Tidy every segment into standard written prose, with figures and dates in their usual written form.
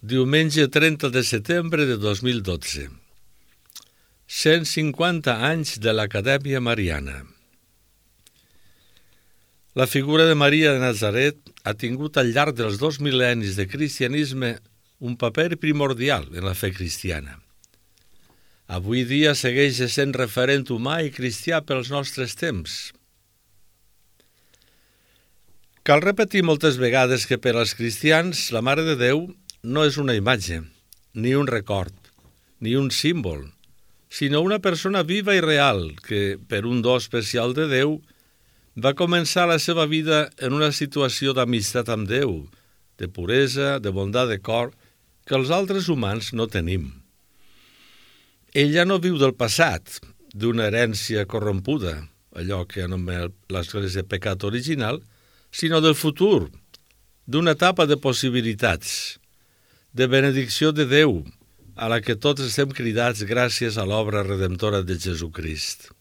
Diumenge 30 de setembre de 2012. 150 anys de l'Acadèmia Mariana. La figura de Maria de Nazaret ha tingut al llarg dels 2 mil·lennis de cristianisme un paper primordial en la fe cristiana. Avui dia segueix sent referent humà i cristià pels nostres temps. Cal repetir moltes vegades que per als cristians la Mare de Déu no és una imatge, ni un record, ni un símbol, sinó una persona viva i real que, per un do especial de Déu, va començar la seva vida en una situació d'amistat amb Déu, de puresa, de bondat de cor, que els altres humans no tenim. Ella no viu del passat, d'una herència corrompuda, allò que anomena l'Església pecat original, sinó del futur, d'una etapa de possibilitats, de benedicció de Déu, a la que tots estem cridats gràcies a l'obra redemptora de Jesucrist.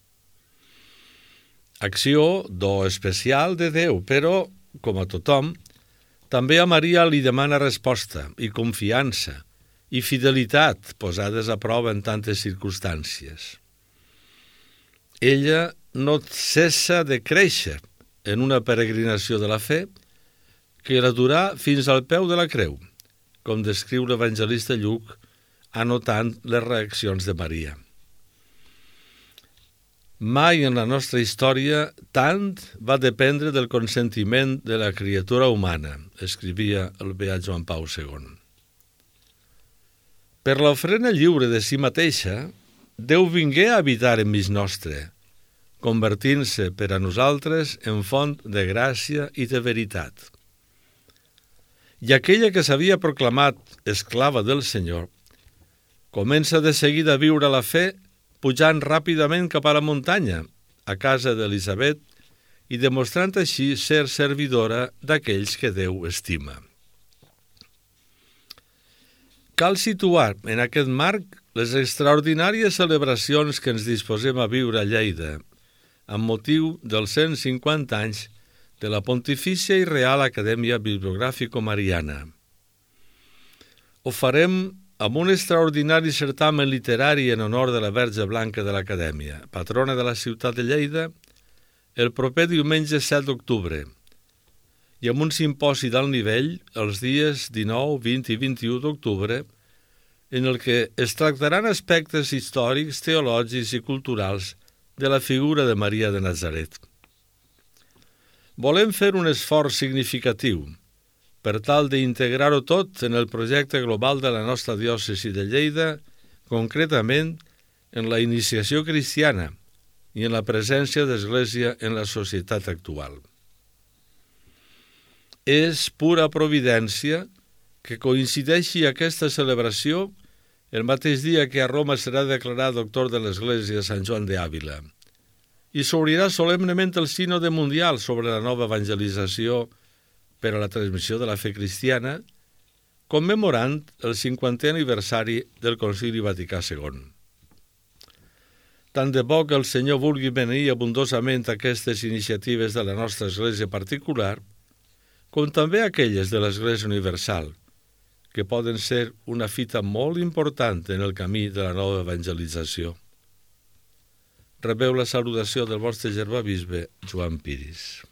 Acció, do especial de Déu, però, com a tothom, també a Maria li demana resposta i confiança i fidelitat posades a prova en tantes circumstàncies. Ella no cessa de créixer en una peregrinació de la fe que la durà fins al peu de la creu, com descriu l'evangelista Lluc, anotant les reaccions de Maria. Mai en la nostra història tant va dependre del consentiment de la criatura humana, escrivia el beat Joan Pau II. Per l'ofrena lliure de si mateixa, Déu vingué a habitar enmig nostre, convertint-se per a nosaltres en font de gràcia i de veritat. I aquella que s'havia proclamat esclava del Senyor comença de seguida a viure la fe pujant ràpidament cap a la muntanya, a casa d'Elisabet, i demostrant així ser servidora d'aquells que Déu estima. Cal situar en aquest marc les extraordinàries celebracions que ens disposem a viure a Lleida, amb motiu dels 150 anys de la Pontifícia i Real Acadèmia Bibliogràfico-Mariana. Ho farem amb un extraordinari certamen literari en honor de la Verge Blanca de l'Acadèmia, patrona de la ciutat de Lleida, el proper diumenge 7 d'octubre, i amb un simposi d'alt nivell els dies 19, 20 i 21 d'octubre, en el que es tractaran aspectes històrics, teològics i culturals de la figura de Maria de Nazaret. Volem fer un esforç significatiu per tal d'integrar-ho tot en el projecte global de la nostra diòcesi de Lleida, concretament en la iniciació cristiana i en la presència d'Església en la societat actual. És pura providència que coincideixi aquesta celebració el mateix dia que a Roma serà declarat doctor de l'Església Sant Joan d'Àvila i s'obrirà solemnement el Sínode Mundial sobre la nova evangelització per a la transmissió de la fe cristiana, commemorant el 50è aniversari del Concili Vaticà II. Tant de bo que el Senyor vulgui beneir abundosament aquestes iniciatives de la nostra Església particular, com també aquelles de l'Església Universal, que poden ser una fita molt important en el camí de la nova evangelització. Rebeu la salutació del vostre germà bisbe Joan Piris.